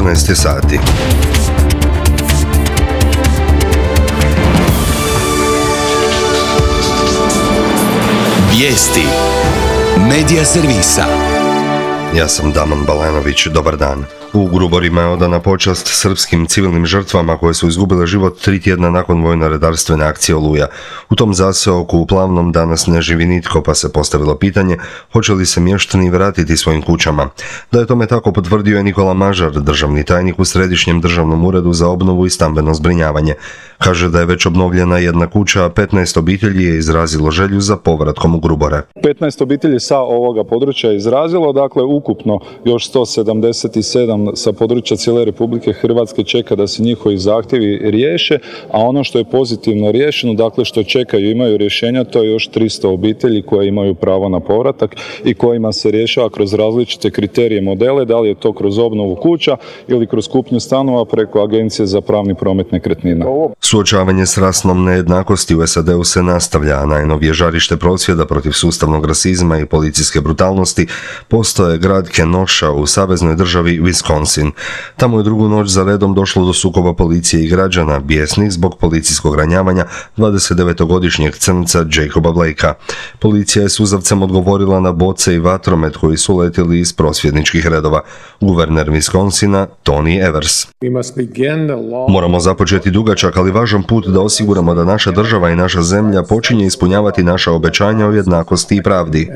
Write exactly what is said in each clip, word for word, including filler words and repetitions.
četrnaest sati. Vijesti Medija servisa. Ja sam Daman Balanović, dobar dan. U Gruborima je odana počast srpskim civilnim žrtvama koje su izgubile život tri tjedna nakon vojno-redarstvene akcije Oluja. U tom zaseoku u Plavnom danas ne živi nitko, pa se postavilo pitanje hoće li se mještani vratiti svojim kućama. Da je tome tako potvrdio je Nikola Mažar, državni tajnik u Središnjem državnom uredu za obnovu i stambeno zbrinjavanje. Kaže da je već obnovljena jedna kuća, a petnaest obitelji je izrazilo želju za povratkom u Grubore. petnaest obitelji sa ovoga područja je izrazilo, dakle ukupno još sto sedamdeset sedam sa područja cijele Republike Hrvatske čeka da se njihovi zahtjevi riješe, a ono što je pozitivno riješeno, dakle što čekaju, imaju rješenja, to je još tristo obitelji koje imaju pravo na povratak i kojima se rješava kroz različite kriterije modele, da li je to kroz obnovu kuća ili kroz kupnju stanova preko Agencije za pravni promet nekretnina. Suočavanje s rasnom nejednakosti u S A D-u se nastavlja, a najnovije žarište prosvjeda protiv sustavnog rasizma i policijske brutalnosti postoje grad Kenosha u saveznoj državi Wisconsin. Tamo je drugu noć za redom došlo do sukoba policije i građana, bijesnih zbog policijskog ranjavanja dvadesetdevetogodišnjeg crnca Jacoba Blakea. Policija je suzavcem odgovorila na boce i vatromet koji su letjeli iz prosvjedničkih redova. Guverner Wisconsina, Tony Evers. Moramo započeti dugačak, ali važan put da osiguramo da naša država i naša zemlja počinje ispunjavati naša obećanja o jednakosti i pravdi.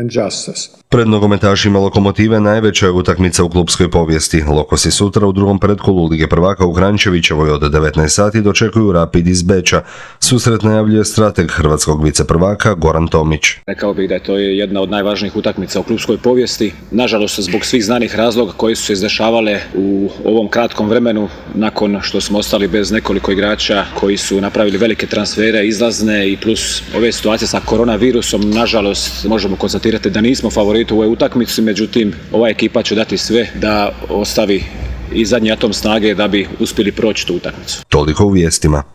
Pred nogometašima Lokomotive najveća je utakmica u klupskoj povijesti. Lokosi sutra u drugom pretkolu Lige prvaka u Kranjčevićevoj od devetnaest sati dočekuju Rapid iz Beča. Susret najavljuje strateg hrvatskog viceprvaka Goran Tomić. Rekao bih da je to jedna od najvažnijih utakmica u klupskoj povijesti. Nažalost, zbog svih znanih razloga koji su se izdešavale u ovom kratkom vremenu nakon što smo ostali bez nekoliko igrača koji su napravili velike transfere, izlazne i plus ove situacije sa koronavirusom, nažalost možemo konstatirati da nismo favoriti u ovoj utakmici, međutim ova ekipa će dati sve da ostavi i zadnji atom snage da bi uspjeli proći tu utakmicu. Toliko u vijestima.